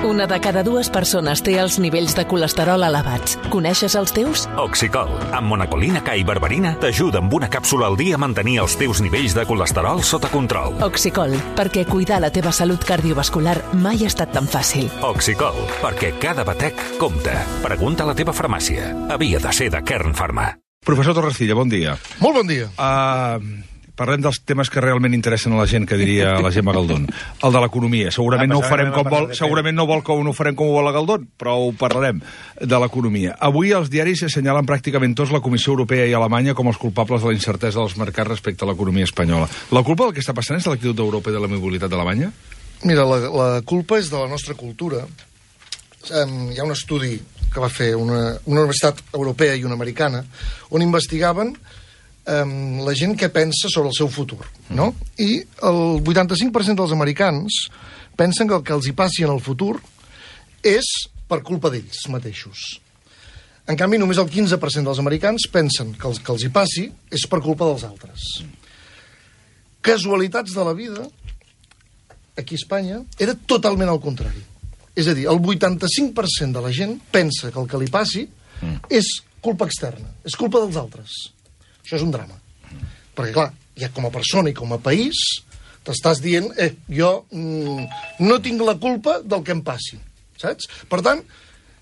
Una de cada dues persones té els nivells de colesterol elevats. Coneixes els teus? Oxicol, amb monacolina K i berberina, t'ajuda amb una càpsula al dia a mantenir els teus nivells de colesterol sota control. Oxicol, perquè cuidar la teva salut cardiovascular mai ha estat tan fàcil. Oxicol, perquè cada batec compta. Pregunta a la teva farmàcia. Havia de ser de Kern Pharma. Professor Torrecilla, bon dia. Molt bon dia. Parlem dels temes que realment interessen a la gent, que diria la Gemma Galdón. El de l'economia. Segurament no ho farem com vol, segurament no vol que ho farem com ho vol la Galdón, però ho parlarem de l'economia. Avui els diaris assenyalen pràcticament tots la Comissió Europea i Alemanya com els culpables de la incertesa dels mercats respecte a l'economia espanyola. La culpa del que està passant és de l'actitud d'Europa i de la mobilitat d'Alemanya? Mira, la culpa és de la nostra cultura. Hi ha un estudi que va fer una universitat europea i una americana on investigaven la gent que pensa sobre el seu futur, no? I el 85% dels americans pensen que el que els hi passi en el futur és per culpa d'ells mateixos. En canvi, només el 15% dels americans pensen que el que els hi passi és per culpa dels altres. Casualitats de la vida, aquí a Espanya, era totalment al contrari. És a dir, el 85% de la gent pensa que el que li passi és culpa externa, és culpa dels altres. Això és un drama. Perquè, clar, ja com a persona i com a país t'estàs dient, jo no tinc la culpa del que em passi, saps? Per tant,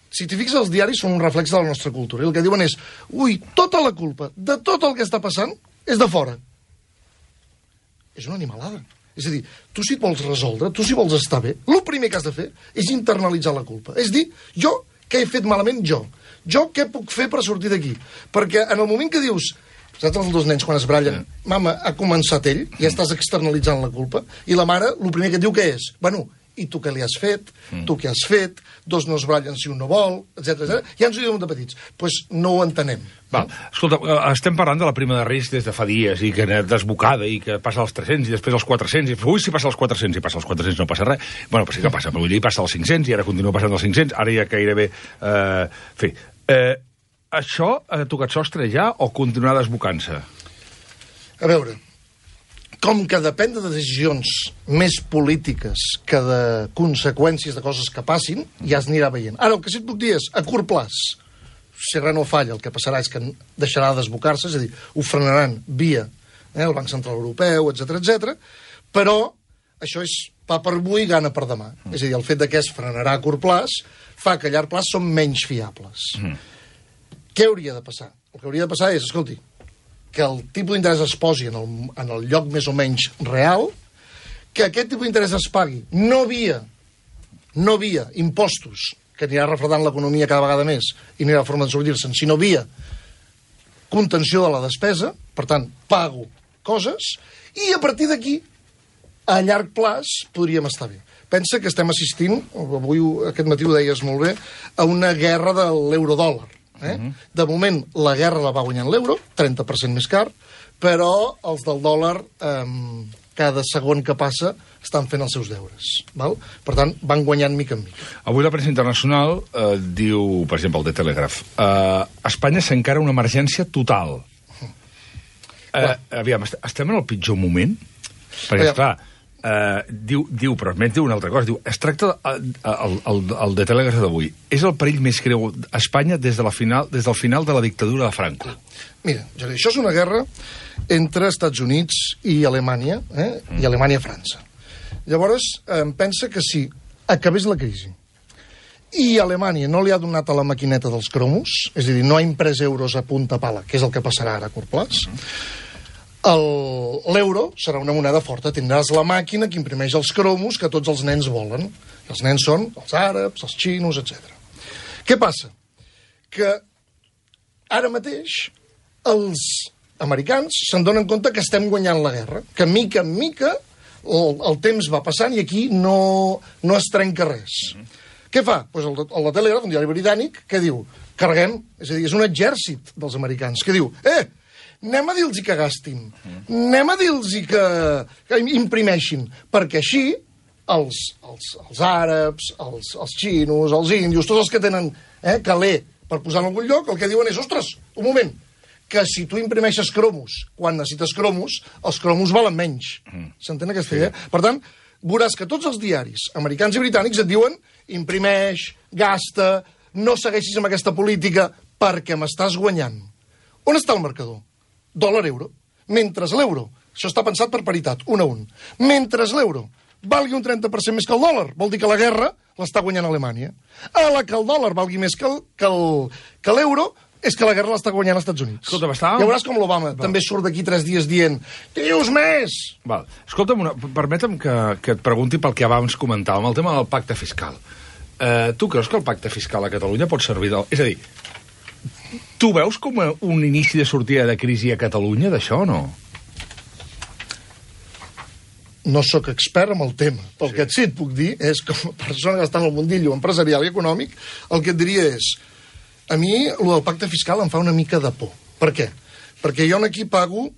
si t'hi fixes, els diaris són un reflex de la nostra cultura. I el que diuen és, tota la culpa de tot el que està passant és de fora. És una animalada. És a dir, tu si et vols resoldre, tu si vols estar bé, el primer que has de fer és internalitzar la culpa. És dir, jo, què he fet malament jo? Jo què puc fer per sortir d'aquí? Perquè en el moment que dius, saps els dos nens quan es brallen, mama, ha començat ell, ja estàs externalitzant la culpa, i la mare, el primer que et diu què és? Bueno, i tu què li has fet? Tu què has fet? Dos no es brallen si un no vol, etc. Ja ens ho diuen de petits. Doncs no ho entenem. Val. Escolta, estem parlant de la prima de risc des de fa dies, i que desbocada, i que passa als 300, i després als 400, i si passa als 400, i passa als 400 no passa res. Bueno, però sí que passa, però vull dir, passa als 500, i ara continua passant als 500, ara ja gairebé... Això ha tocat sostre ja o continuar desbocant-se? A veure, com que depèn de decisions més polítiques que de conseqüències de coses que passin, ja es anirà veient. Ara, el que sí et puc dir és, a curt plaç, si res no falla, el que passarà és que deixarà de desbocar-se, és a dir, ho frenaran via el Banc Central Europeu, etc. Però això és pa per avui i gana per demà. És a dir, el fet de que es frenarà a curt plaç fa que a llarg plaç són menys fiables. Què hauria de passar? El que hauria de passar és, escolti, que el tipus d'interès es posi en el lloc més o menys real, que aquest tipus d'interès es pagui no via impostos, que anirà refredant l'economia cada vegada més i no hi ha forma de sortir-se'n, sinó via contenció de la despesa, per tant, pago coses, i a partir d'aquí, a llarg plaç, podríem estar bé. Pensa que estem assistint, avui aquest matí ho deies molt bé, a una guerra de l'eurodòlar. De moment, la guerra la va guanyant l'euro, 30% més car, però els del dòlar, cada segon que passa, estan fent els seus deures. Val? Per tant, van guanyant mica en mica. Avui la premsa internacional diu, per exemple, el The Telegraph, Espanya s'encara una emergència total. Aviam, estem en el pitjor moment? Perquè, esclar, diu, però més diu una altra cosa, diu, es tracta el de Telegraph d'avui, és el perill més greu a Espanya des del final de la dictadura de Franco. Mira, Jordi, això és una guerra entre Estats Units i Alemanya, i Alemanya-França. Llavors, pensa que si acabés la crisi i Alemanya no li ha donat a la maquineta dels cromos, és a dir, no ha imprès euros a punta pala, que és el que passarà ara a curt plaç, l'euro serà una moneda forta. Tindràs la màquina que imprimeix els cromos que tots els nens volen. Els nens són els àrabs, els xinos, etc. Què passa? Que ara mateix els americans se'n donen compte que estem guanyant la guerra, que mica en mica el temps va passant i aquí no es trenca res. Què fa? Pues el Telegraph, un diari britànic, que diu, carreguem, és a dir, és un exèrcit dels americans, que diu, anem a dir-los que gastin, anem a dir-los que imprimeixin, perquè així els àrabs, els xinos, els índios, tots els que tenen caler per posar en algun lloc, el que diuen és, ostres, un moment, que si tu imprimeixes cromos, quan necessites cromos, els cromos valen menys. S'entén aquesta idea? Per tant, veuràs que tots els diaris americans i britànics et diuen imprimeix, gasta, no segueixis amb aquesta política perquè m'estàs guanyant. On està el marcador? Dòlar-euro. Mentre l'euro, això està pensat per paritat, 1 a 1, mentre l'euro valgui un 30% més que el dòlar, vol dir que la guerra l'està guanyant Alemanya. A la que el dòlar valgui més que l'euro, és que la guerra l'està guanyant als Estats Units. Escolta, ja veuràs com l'Obama també surt d'aquí 3 dies dient dius més! Val. Escolta'm, permetem que et pregunti pel que abans comentàvem, el tema del pacte fiscal. Tu creus que el pacte fiscal a Catalunya pot servir És a dir, tu veus com un inici de sortida de crisi a Catalunya d'això o no? No sóc expert en el tema. El que sí et puc dir és, com a persona que està en el mundillo empresarial i econòmic, el que et diria és a mi, el del pacte fiscal em fa una mica de por. Per què? Perquè jo aquí pago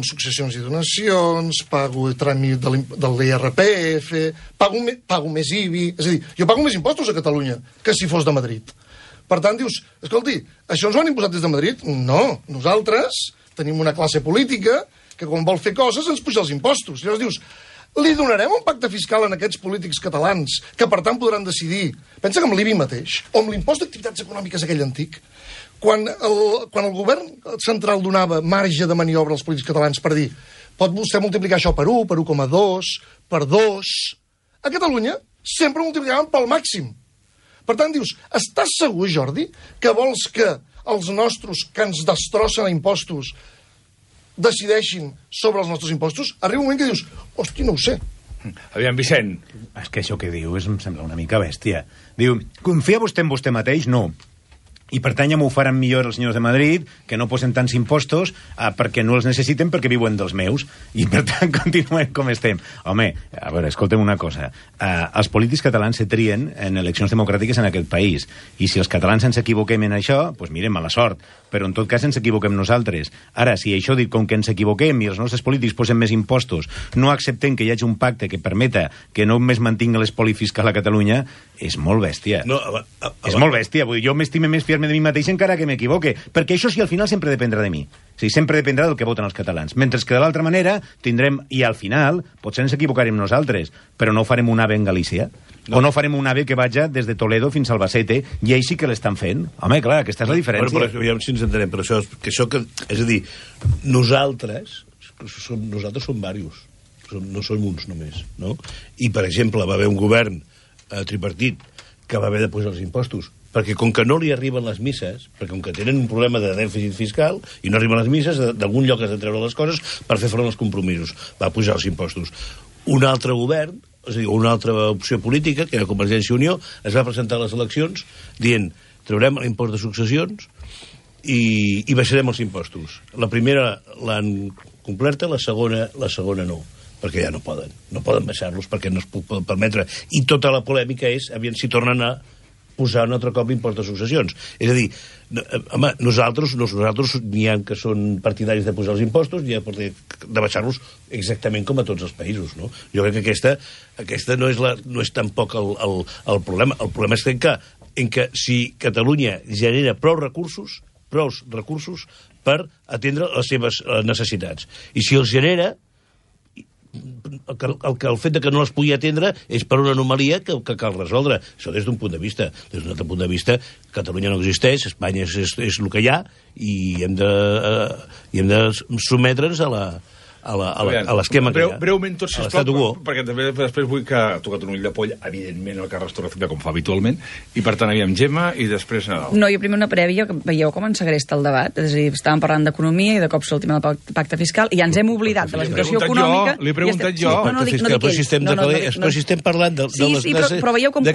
successions i donacions, pago el tràmit de l'IRPF, pago més IBI... És a dir, jo pago més impostos a Catalunya que si fos de Madrid. Per tant, dius, escolti, això ens ho han imposat des de Madrid? No, nosaltres tenim una classe política que quan vol fer coses ens puja els impostos. Llavors dius, li donarem un pacte fiscal a aquests polítics catalans que per tant podran decidir, pensa que amb l'IBI mateix, o amb l'impost d'activitats econòmiques aquell antic, quan el govern central donava marge de maniobra als polítics catalans per dir, pot vostè multiplicar això per 1, per 1,2, per 2, a Catalunya sempre multiplicaven pel màxim. Per tant, dius, estàs segur, Jordi, que vols que els nostres que ens destrossen a impostos decideixin sobre els nostres impostos? Arriba un moment que dius, hosti, no ho sé. Aviam, Vicent. És que això que diu em sembla una mica bèstia. Diu, confia vostè en vostè mateix? No. I per tant ja m'ho faran millor els senyors de Madrid, que no posen tants impostos perquè no els necessiten perquè viuen dels meus. I per tant continuem com estem. Home, a veure, escolta'm una cosa. Els polítics catalans se trien en eleccions democràtiques en aquest país. I si els catalans ens equivoquem en això, doncs mire, mala sort. Però en tot cas ens equivoquem nosaltres. Ara, si això dit com que ens equivoquem i els nostres polítics posen més impostos, no acceptem que hi hagi un pacte que permeta que no només mantingui l'espoli fiscal a Catalunya, és molt bèstia. No, és molt bèstia. Vull dir, jo m'estime més fiar-me de mi mateix encara que m'equivoque, perquè això sí, al final sempre dependrà de mi. O sigui, sempre dependrà del que voten els catalans. Mentre que de l'altra manera tindrem, i al final, potser ens equivocarem nosaltres, però no farem un AVE en Galícia. No. O no farem un AVE que vaja des de Toledo fins a Albacete, i ells sí que l'estan fent. Home, clar, aquesta és la diferència. Però ja si ens entenem, però això és a dir, nosaltres som diversos, no som uns només, no? I, per exemple, va haver un govern tripartit que va haver de posar els impostos, perquè com que no li arriben les misses, perquè com que tenen un problema de dèficit fiscal i no arriben les misses, d'algun lloc has de treure les coses per fer front als compromisos. Va pujar els impostos. Un altre govern, és a dir, una altra opció política, que era Convergència i Unió, es va presentar a les eleccions dient, traurem l'impost de successions i baixarem els impostos. La primera l'han completa, la segona no, perquè ja no poden baixar-los perquè no es poden permetre. I tota la polèmica és, aviam si tornen a posar un altre cop l'impost de successions. És a dir, home, nosaltres n'hi ha que són partidaris de posar els impostos, n'hi ha de baixar-los exactament com a tots els països, no? Jo crec que aquesta no és tampoc el problema. El problema és que si Catalunya genera prou recursos per atendre les seves necessitats. I si els genera, el fet de que no les pugui atendre és per una anomalia que cal resoldre. Això des d'un punt de vista. Des d'un altre punt de vista, Catalunya no existeix, Espanya és el que hi ha i hem de sotmetre'ns a l'esquema que hi ha. Breument tot, sisplau, perquè també després vull que ha tocat un ull de poll, evidentment, el Carles Torrecilla, com fa habitualment, i per tant havíem Gemma i després Nadal. No, jo primer una prèvia, que veieu com ens segresta el debat, és a dir, estàvem parlant d'economia i de cop sortim al pacte fiscal i ja ens hem oblidat de la situació econòmica. Li he preguntat jo. Però si estem parlant de les classes, de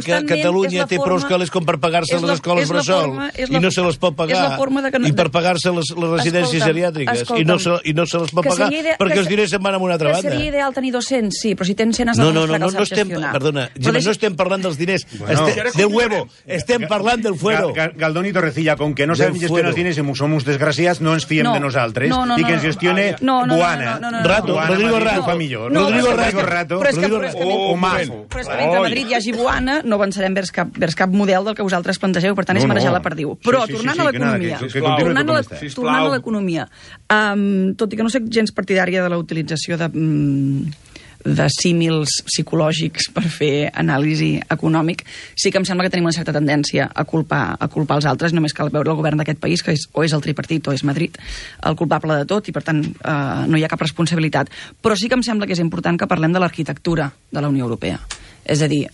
que Catalunya té prou calés com per pagar-se les escoles bressol i no se les pot pagar, i per pagar-se les residències geriàtriques i no se les pot pagar perquè els diners se'n van a una altra banda. Que seria ideal tenir 200, sí, però si tens 100 has de demostrar que els saps gestionar. Perdona, Gemma, no estem parlant dels diners, del huevo, estem parlant del fuero. Galdón i Torrecilla, com que no sabem gestionar els diners i som uns desgraciats, no ens fiem de nosaltres i que ens gestione Boana. Rodrigo Rato. O Mazo. Però és que mentre a Madrid hi hagi Boana, no avançarem vers cap model del que vosaltres plantegeu, per tant és marejar la perdiu. Però tornant a l'economia, tot i que no sé gens partidària de la utilització de símils psicològics per fer anàlisi econòmic, sí que em sembla que tenim una certa tendència a culpar els altres. Només cal veure el govern d'aquest país, que o és el tripartit o és Madrid, el culpable de tot, i per tant no hi ha cap responsabilitat. Però sí que em sembla que és important que parlem de l'arquitectura de la Unió Europea. És a dir,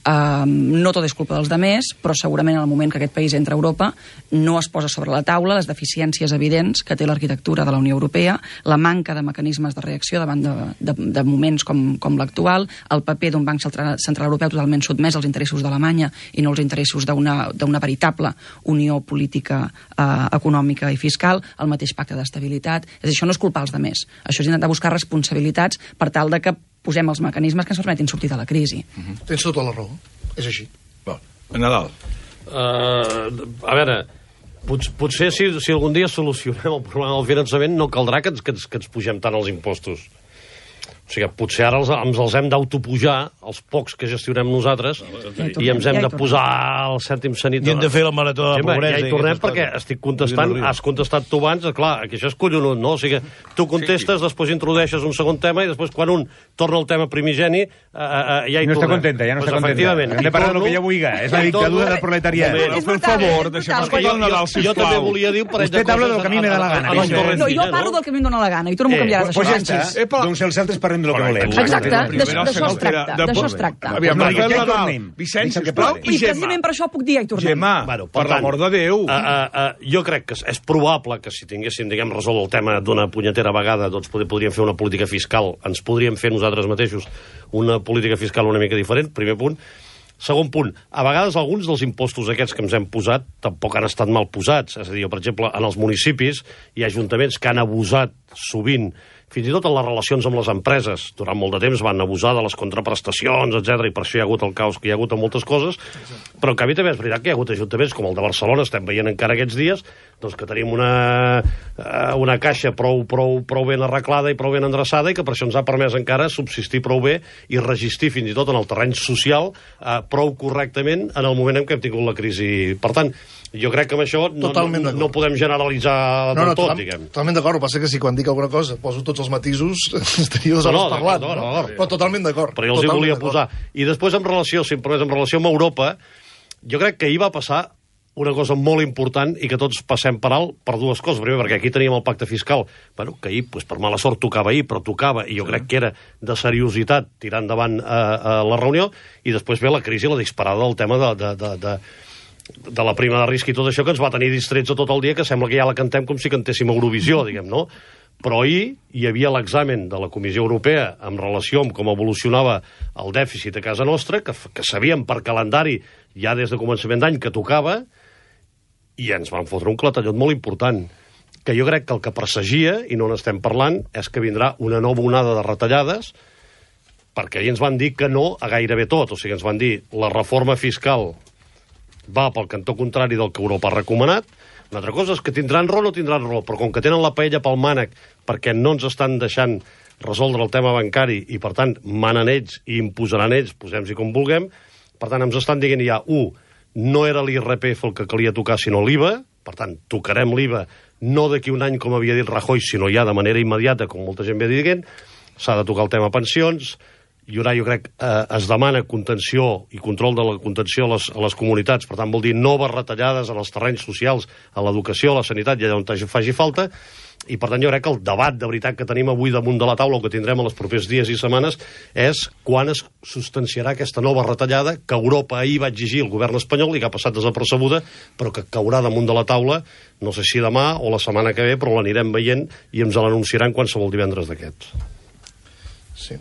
no tot és culpa dels demés, però segurament en el moment que aquest país entra a Europa no es posa sobre la taula les deficiències evidents que té l'arquitectura de la Unió Europea, la manca de mecanismes de reacció davant de moments com l'actual, el paper d'un banc central europeu totalment sotmès als interessos d'Alemanya i no als interessos d'una veritable unió política, econòmica i fiscal, el mateix pacte d'estabilitat. És a dir, això no és culpar els demés, això és intentar buscar responsabilitats per tal de que posem els mecanismes que ens permetin sortir de la crisi. Tens tota la raó, és així. Nadal. A veure, potser si algun dia solucionem el problema del finançament no caldrà que ens pugem tant els impostos. O sigui, potser ara ens els hem d'autopujar, els pocs que gestionem nosaltres, i ens hem de posar el cèntim sanitari. I hem de fer la marató de la pobresa. Ja hi tornem perquè estic contestant, has contestat tu abans, clar, que això és collonut, no? O sigui, tu contestes, després introdueixes un segon tema i després quan un torna al tema primigeni ja hi tornem. No està contenta, ja no està contenta. Hem de parlar del que jo vulgui, és la dictadura del proletariat. Per favor, deixem escoltar el Nadal, sisplau. Jo també volia dir un parell de coses. Usted habla del que a mi me da la gana. No, jo parlo del que a mi em dóna la gana i tu no m'ho canviaràs, això. Pues ja està, doncs els altres parlem del que volem. Exacte, d'això es tracta. Aviam, Vicenç, sisplau, i I precisament per això puc dir ja hi tornem. Gemma, per l'amor de Déu. Jo crec que és probable que si tinguéssim, diguem, resolt el tema d'una punyetera vegada, doncs podríem fer una política fiscal, ens podríem fer nosaltres mateixos una política fiscal una mica diferent, primer punt. Segon punt, a vegades alguns dels impostos aquests que ens hem posat tampoc han estat mal posats. És a dir, per exemple, en els municipis hi ha ajuntaments que han abusat sovint, fins i tot en les relacions amb les empreses. Durant molt de temps van abusar de les contraprestacions, etc. I per això hi ha hagut el caos que hi ha hagut en moltes coses. Però en canvi també és veritat que hi ha hagut ajuntaments com el de Barcelona, estem veient encara aquests dies, doncs que tenim una caixa prou ben arreglada i prou ben endreçada i que per això ens ha permès encara subsistir prou bé i resistir fins i tot en el terreny social prou correctament en el moment en què hem tingut la crisi. Per tant, jo crec que amb això no podem generalitzar tot, diguem. Totalment d'acord, el que passa que si quan dic alguna cosa poso tots els matisos, estaria 2 hores parlant. Però totalment d'acord. Però jo els hi volia posar. I després, en relació amb Europa, jo crec que ahir va passar una cosa molt important i que tots passem per alt per dues coses. Primer, perquè aquí teníem el pacte fiscal, que ahir, per mala sort, tocava ahir, però tocava, i jo crec que era de seriositat tirar endavant la reunió, i després ve la crisi, la disparada del tema de la prima de risc i tot això que ens va tenir distrets tot el dia, que sembla que ja la cantem com si cantéssim Eurovisió, diguem, no? Però ahir hi havia l'examen de la Comissió Europea en relació amb com evolucionava el dèficit a casa nostra, que sabíem per calendari ja des de començament d'any que tocava, i ens van fotre un clatellot molt important, que jo crec que el que presagia, i no n'estem parlant, és que vindrà una nova onada de retallades, perquè ahir ens van dir que no a gairebé tot. O sigui, ens van dir la reforma fiscal va pel cantó contrari del que Europa ha recomanat. Una altra cosa és que tindran raó o no tindran raó, però com que tenen la paella pel mànec perquè no ens estan deixant resoldre el tema bancari i, per tant, manen ells i imposaran ells, posem-s'hi com vulguem, per tant, ens estan dient ja, no era l'IRPF el que calia tocar, sinó l'IVA, per tant, tocarem l'IVA no d'aquí un any, com havia dit Rajoy, sinó ja de manera immediata, com molta gent ve dient, s'ha de tocar el tema pensions, i ara jo crec es demana contenció i control de la contenció a les comunitats, per tant vol dir noves retallades en els terrenys socials, a l'educació, a la sanitat i allà on faci falta, i per tant jo crec que el debat de veritat que tenim avui damunt de la taula o que tindrem en els propers dies i setmanes és quan es substanciarà aquesta nova retallada que Europa ahir va exigir al govern espanyol i que ha passat desapercebuda, però que caurà damunt de la taula, no sé si demà o la setmana que ve, però l'anirem veient i ens l'anunciaran qualsevol divendres d'aquests. Sí.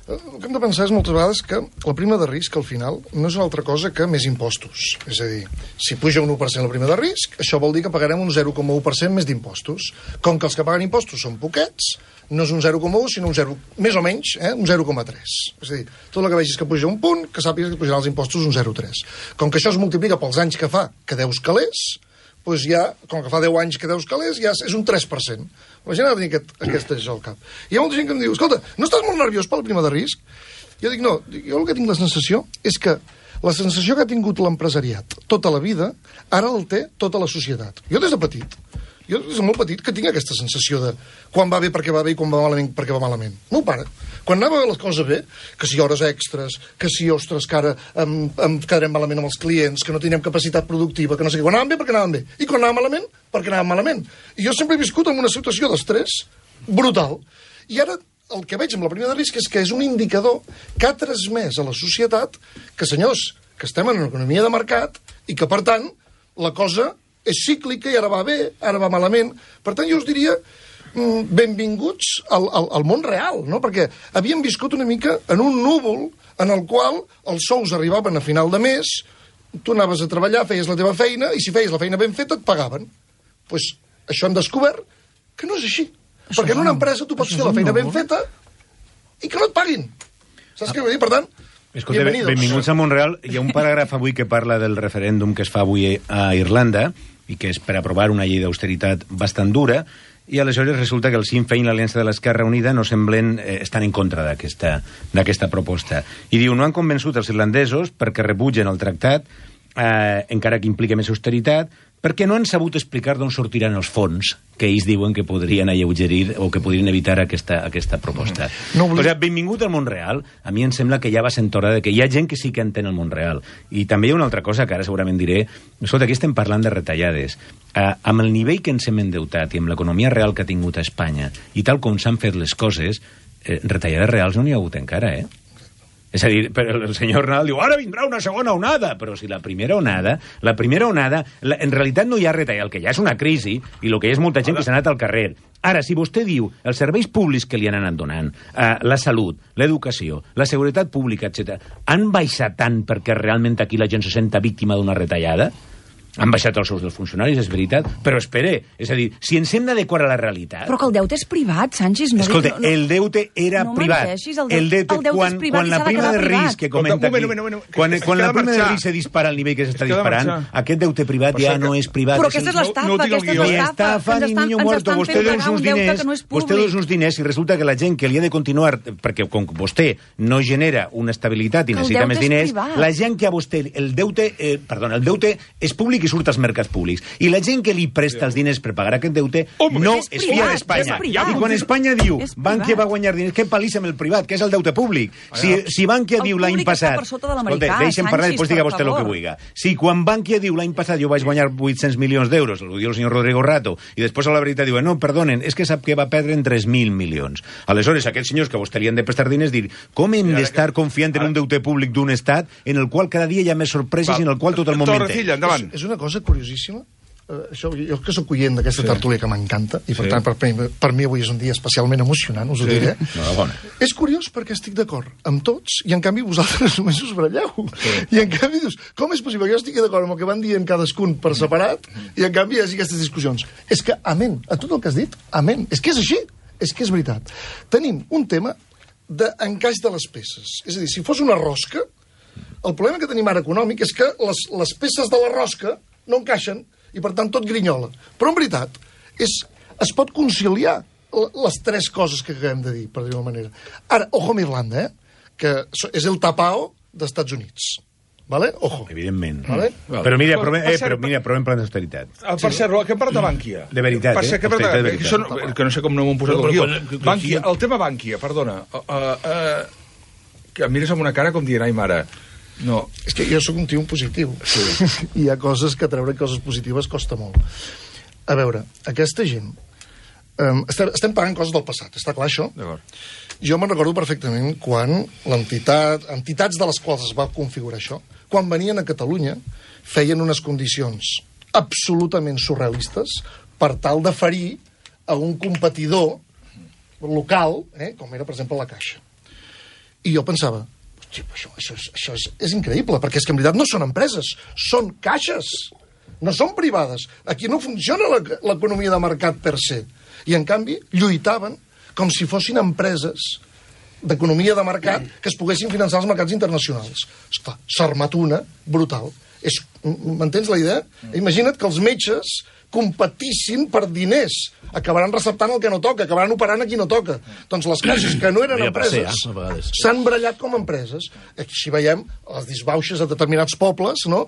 El que hem de pensar és moltes vegades que la prima de risc, al final, no és una altra cosa que més impostos. És a dir, si puja un 1% la prima de risc, això vol dir que pagarem un 0,1% més d'impostos. Com que els que paguen impostos són poquets, no és un 0,1, sinó un 0, més o menys, un 0,3. És a dir, tot el que vegis que puja un punt, que sàpigues que pujaran els impostos un 0,3. Com que això es multiplica pels anys que fa que deus calés, doncs ja, com que fa 10 anys que deus calés, ja és un 3%. La gent ha de tenir aquest això al cap. Hi ha molta gent que em diu, escolta, no estàs molt nerviós per la prima de risc? Jo dic, no, jo el que tinc la sensació és que la sensació que ha tingut l'empresariat tota la vida, ara el té tota la societat. Jo des de petit, Jo, des de molt petit, que tinc aquesta sensació de quan va bé perquè va bé i quan va malament perquè va malament. Meu pare, quan anava les coses bé, que si hores extres, que si, ostres, que ara em quedarem malament amb els clients, que no tindrem capacitat productiva, que no sé què. Quan anaven bé, perquè anaven bé. I quan anaven malament, perquè anaven malament. I jo sempre he viscut en una situació d'estrès brutal. I ara el que veig amb la prima de risc és que és un indicador que ha transmès a la societat que, senyors, que estem en una economia de mercat i que, per tant, la cosa és cíclica i ara va bé, ara va malament. Per tant, jo us diria benvinguts al món real, no? Perquè havíem viscut una mica en un núvol en el qual els sous arribaven a final de mes, tu anaves a treballar, feies la teva feina, i si feies la feina ben feta et pagaven. Doncs això hem descobert que no és així. Perquè en una empresa tu pots fer la feina ben feta i que no et paguin. Saps què vull dir? Per tant, escolta, benvinguts a Montreal. Hi ha un paràgraf avui que parla del referèndum que es fa avui a Irlanda i que és per aprovar una llei d'austeritat bastant dura, i aleshores resulta que el Sinn Féin i l'Aliança de l'Esquerra Unida no semblen estan en contra d'aquesta proposta. I diu, no han convençut els irlandesos perquè rebutgen el tractat, encara que implica més austeritat, perquè no han sabut explicar d'on sortiran els fons que ells diuen que podrien alleugerir o que podrien evitar aquesta proposta. O sigui, benvingut al món real. A mi em sembla que ja va sent hora de que hi ha gent que sí que entén el món real. I també hi ha una altra cosa que ara segurament diré. Escolta, aquí estem parlant de retallades. Amb el nivell que ens hem endeutat i amb l'economia real que ha tingut a Espanya i tal com s'han fet les coses, retallades reals no n'hi ha hagut encara, És a dir, el senyor Nadal diu, ara vindrà una segona onada, però si la primera onada, en realitat no hi ha retall, el que hi ha és una crisi, i el que hi ha és molta gent que s'ha anat al carrer. Ara, si vostè diu els serveis públics que li han anat donant, la salut, l'educació, la seguretat pública, etc., han baixat tant perquè realment aquí la gent se senta víctima d'una retallada? Han baixat els sous dels funcionaris, és veritat, però espere, és a dir, si ens hem d'adequar a la realitat... Però que el deute és privat, Sánchez. No, escolta, el deute era privat. El deute és privat, quan la prima de risc que comenta aquí... Quan la prima de risc se dispara al nivell que s'està disparant, aquest deute privat ja no és privat. Però aquesta és l'estafa, Ni estafa ni niño muerto. Vostè dona uns diners i resulta que la gent que li ha de continuar, perquè com vostè no genera una estabilitat i necessita més diners, la gent que a vostè... El deute és públic i surt als mercats públics. I la gent que li presta els diners per pagar aquest deute no es fia d'Espanya. I quan Espanya diu Bankia va guanyar diners, què palissa amb el privat, que és el deute públic? Si Bankia diu l'any passat... Escolta, deixa'm parlar i després diga vostè el que vulgui. Si quan Bankia diu l'any passat jo vaig guanyar 800 milions d'euros, ho diu el senyor Rodrigo Rato, i després a la veritat diu, no, perdonen, és que sap que va perdre en 3.000 milions. Aleshores, aquests senyors que a vostè li han de prestar diners dir, com hem d'estar confiant en un deute públic d'un estat en el qual cada dia hi ha més sorpreses i en el qual tot el moment té? És una cosa curiosíssima. Això, jo que soc oient d'aquesta tertúlia que m'encanta, i per tant per mi avui és un dia especialment emocionant, us ho diré. És curiós perquè estic d'acord amb tots i en canvi vosaltres només us baralleu. I en canvi dius, com és possible que jo estigui d'acord amb el que van dient cadascun per separat i en canvi hi hagi aquestes discussions? És que, amén, a tot el que has dit, amén. És que és així, és que és veritat. Tenim un tema d'encaix de les peces. És a dir, si fos una rosca, el problema que tenim ara econòmic és que les peces de la rosca no encaixen i, per tant, tot grinyola. Però, en veritat, es pot conciliar les tres coses que acabem de dir, per dir-ho manera. Ara, ojo amb Irlanda, que és el tapao dels Estats Units. Vale? Ojo. Evidentment. Vale? Però mira, provem plans d'austeritat. Per cert, que hem parlat de Bànquia. De veritat, que no sé com no m'ho han posat el guió. Bànquia, el tema Bànquia, perdona. Que em mires amb una cara com dient, ai, mare... No. És que jo sóc un tio positiu. Sí. Hi ha coses que treure coses positives costa molt. A veure, aquesta gent... estem pagant coses del passat, està clar això? Jo me'n recordo perfectament quan entitats de les quals es va configurar això, quan venien a Catalunya, feien unes condicions absolutament surrealistes per tal de ferir a un competidor local, com era, per exemple, la Caixa. I jo pensava, això és increïble, perquè és que en veritat no són empreses, són caixes, no són privades. Aquí no funciona l'economia de mercat per se. I en canvi lluitaven com si fossin empreses d'economia de mercat que es poguessin finançar als mercats internacionals. Esclar, s'ha armat una brutal. M'entens la idea? Imagina't que els metges competissin per diners. Acabaran receptant el que no toca, acabaran operant a qui no toca. Doncs les caixes que no eren empreses s'han barallat com a empreses. Així veiem les disbauxes a determinats pobles, no?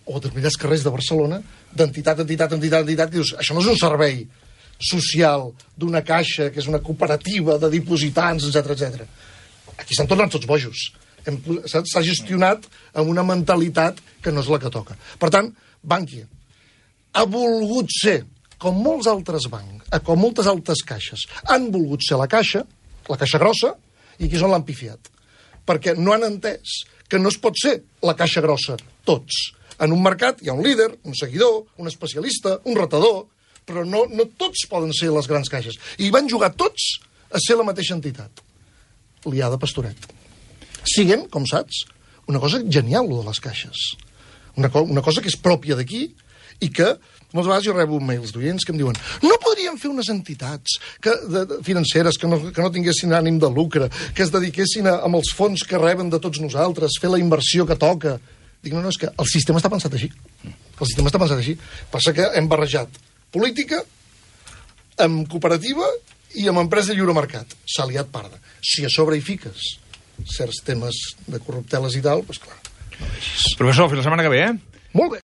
o determinats carrers de Barcelona, d'entitat, que dius, això no és un servei social d'una caixa, que és una cooperativa de dipositants, etc. Aquí s'han tornat tots bojos. S'ha gestionat amb una mentalitat que no és la que toca. Per tant, Bankia ha volgut ser, com molts altres bancs, com moltes altres caixes, han volgut ser la caixa grossa, i aquí és on l'han pifiat. Perquè no han entès que no es pot ser la caixa grossa tots. En un mercat hi ha un líder, un seguidor, un especialista, un retador, però no tots poden ser les grans caixes. I van jugar tots a ser la mateixa entitat. Liada Pastoret. Siguen, com saps, una cosa genial, lo de les caixes. Una cosa que és pròpia d'aquí i que moltes vegades jo rebo mails d'oients que em diuen no podríem fer unes entitats financeres que no tinguessin ànim de lucre, que es dediquessin amb els fons que reben de tots nosaltres, fer la inversió que toca. Dic, no, és que el sistema està pensat així. El sistema està pensat així. Passa que hem barrejat política amb cooperativa i amb empresa de lliure mercat. S'ha liat parda. Si a sobre hi fiques certs temes de corrupteles i tal, doncs clar, no vegis. Professor, fins la setmana que ve, Molt bé.